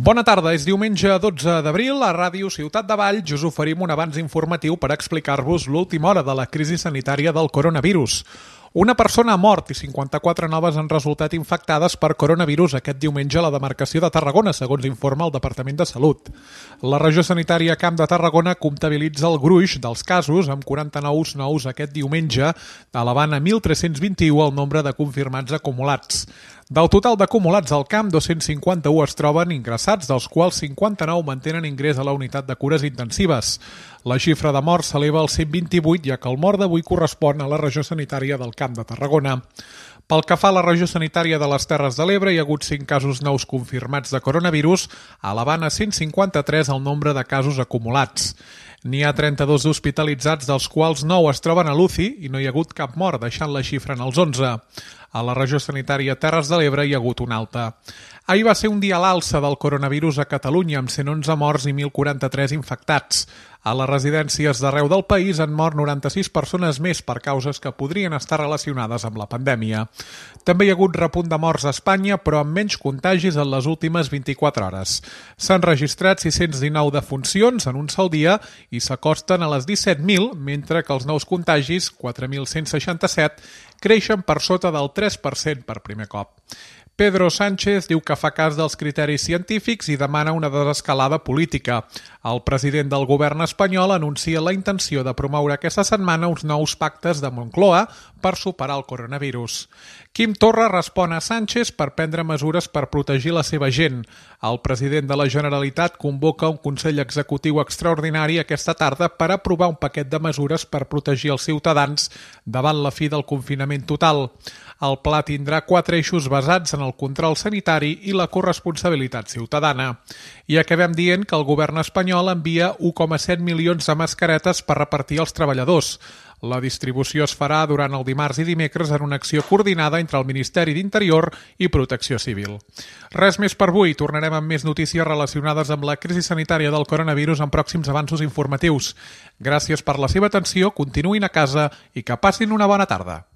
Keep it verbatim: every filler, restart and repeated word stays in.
Bona tarda, és diumenge dotze d'abril, a Ràdio Ciutat de Valls us oferim un avanç informatiu per explicar-vos l'última hora de la crisi sanitària del coronavirus. Una persona ha mort i cinquanta-quatre noves han resultat infectades per coronavirus aquest diumenge a la demarcació de Tarragona, segons informa el Departament de Salut. La regió sanitària Camp de Tarragona comptabilitza el gruix dels casos, amb quaranta-nou nous aquest diumenge, elevant a mil tres-cents vint-i-u el nombre de confirmats acumulats. Del total d'acumulats al camp, dos-cents cinquanta-u es troben ingressats, dels quals cinquanta-nou mantenen ingrés a la unitat de cures intensives. La xifra de morts s'eleva al cent vint-i-vuit, ja que el mort d'avui correspon a la regió sanitària del Camp de Tarragona. Pel que fa a la regió sanitària de les Terres de l'Ebre, hi ha hagut cinc casos nous confirmats de coronavirus, elevant a cent cinquanta-tres el nombre de casos acumulats. N'hi ha trenta-dos hospitalitzats, dels quals nou es troben a l'U C I i no hi ha hagut cap mort, deixant la xifra en els onze. A la regió sanitària Terres de l'Ebre hi ha hagut una alta. Ahir va ser un dia a l'alça del coronavirus a Catalunya, amb cent onze morts i mil quaranta-tres infectats. A les residències d'arreu del país han mort noranta-sis persones més per causes que podrien estar relacionades amb la pandèmia. També hi ha hagut repunt de morts a Espanya, però amb menys contagis en les últimes vint-i-quatre hores. S'han registrat sis-cents dinou defuncions en un sol dia i s'acosten a les disset mil, mentre que els nous contagis, quatre mil cent seixanta-set, creixen per sota del tres per cent per primer cop. Pedro Sánchez diu que fa cas dels criteris científics i demana una desescalada política. El president del govern espanyol anuncia la intenció de promoure aquesta setmana uns nous pactes de Moncloa per superar el coronavirus. Quim Torra respon a Sánchez per prendre mesures per protegir la seva gent. El president de la Generalitat convoca un Consell Executiu extraordinari aquesta tarda per aprovar un paquet de mesures per protegir els ciutadans davant la fi del confinament total. El pla tindrà quatre eixos basats en el control sanitari i la corresponsabilitat ciutadana. I acabem dient que el govern espanyol envia u coma set milions de mascaretes per repartir als treballadors. La distribució es farà durant el dimarts i dimecres en una acció coordinada entre el Ministeri d'Interior i Protecció Civil. Res més per avui. Tornarem amb més notícies relacionades amb la crisi sanitària del coronavirus en pròxims avanços informatius. Gràcies per la seva atenció, continuïn a casa i que passin una bona tarda.